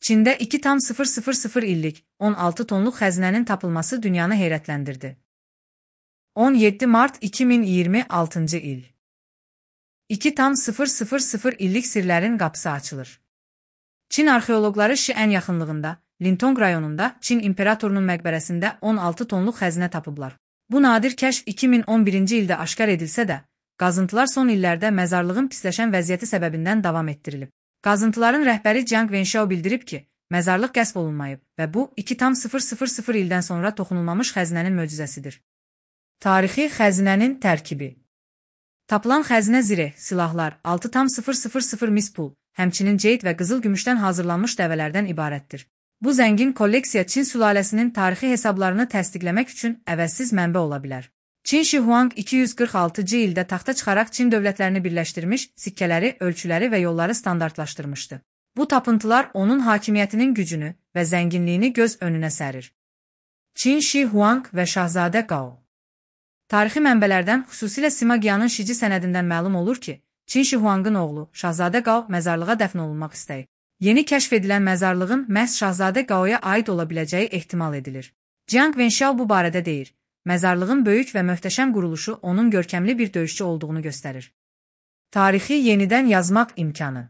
Çində 2,000 illik 16 tonluq xəzinənin tapılması dünyanı heyrətləndirdi. 17 mart 2026 il. 2,000 illik sirlərin qapısı açılır. Çin arxeoloqları Şiən yaxınlığında, Lintong rayonunda Çin imperatorunun məqbərəsində 16 tonluq xəzinə tapıblar. Bu nadir kəşf 2011-ci ildə aşkar edilsə də, qazıntılar son illərdə məzarlığın pisləşən vəziyyəti səbəbindən davam etdirilib. Qazıntıların rəhbəri Jiang Wenshao bildirib ki, məzarlıq qəsb olunmayıb və bu 2,000 ildən sonra toxunulmamış xəzinənin möcüzəsidir. Tarixi xəzinənin tərkibi. Tapılan xəzinə zireh, silahlar, 6,000 mis pul, həmçinin ceyd və qızıl gümüşdən hazırlanmış dəvələrdən ibarətdir. Bu zəngin kolleksiya Çin sülaləsinin tarixi hesablarını təsdiqləmək üçün əvəzsiz mənbə ola bilər. Qin Shi Huang 246-cı ildə taxta çıxaraq Çin dövlətlərini birləşdirmiş, sikkələri, ölçüləri və yolları standartlaşdırmışdı. Bu tapıntılar onun hakimiyyətinin gücünü və zənginliyini göz önünə sərir. Qin Shi Huang və Şahzadə Gao. Tarixi mənbələrdən, xüsusilə Sima Qianın Şici sənədindən məlum olur ki, Qin Shi Huangın oğlu Şahzadə Gao məzarlığa dəfn olunmaq istəyir. Yeni kəşf edilən məzarlığın məhz Şahzadə Gaoya aid ola biləcəyi ehtimal edilir. Jiang Wenshao bu barədə deyir. Məzarlığın böyük və möhtəşəm quruluşu onun görkəmli bir döyüşçü olduğunu göstərir. Tarixi yenidən yazmaq imkanı.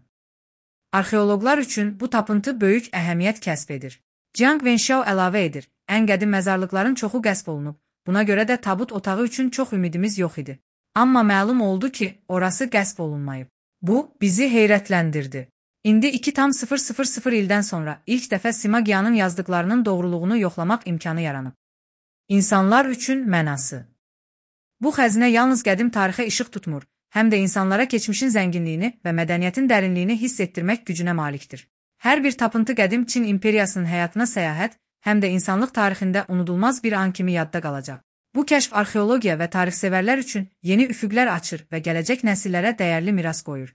Arxeoloqlar üçün bu tapıntı böyük əhəmiyyət kəsb edir. Jiang Wenshao əlavə edir, ən qədim məzarlıqların çoxu qəsb olunub, buna görə də tabut otağı üçün çox ümidimiz yox idi. Amma məlum oldu ki, orası qəsb olunmayıb. Bu, bizi heyrətləndirdi. İndi 2,000 ildən sonra ilk dəfə Sima Qianın yazdıqlarının doğruluğunu yoxlamaq imkanı yaranıb. İnsanlar üçün mənası. Bu xəzinə yalnız qədim tarixə işıq tutmur, həm də insanlara keçmişin zənginliyini və mədəniyyətin dərinliyini hiss etdirmək gücünə malikdir. Hər bir tapıntı qədim Çin imperiyasının həyatına səyahət, həm də insanlıq tarixində unudulmaz bir an kimi yadda qalacaq. Bu kəşf arxeologiya və tarixsevərlər üçün yeni üfüqlər açır və gələcək nəsillərə dəyərli miras qoyur.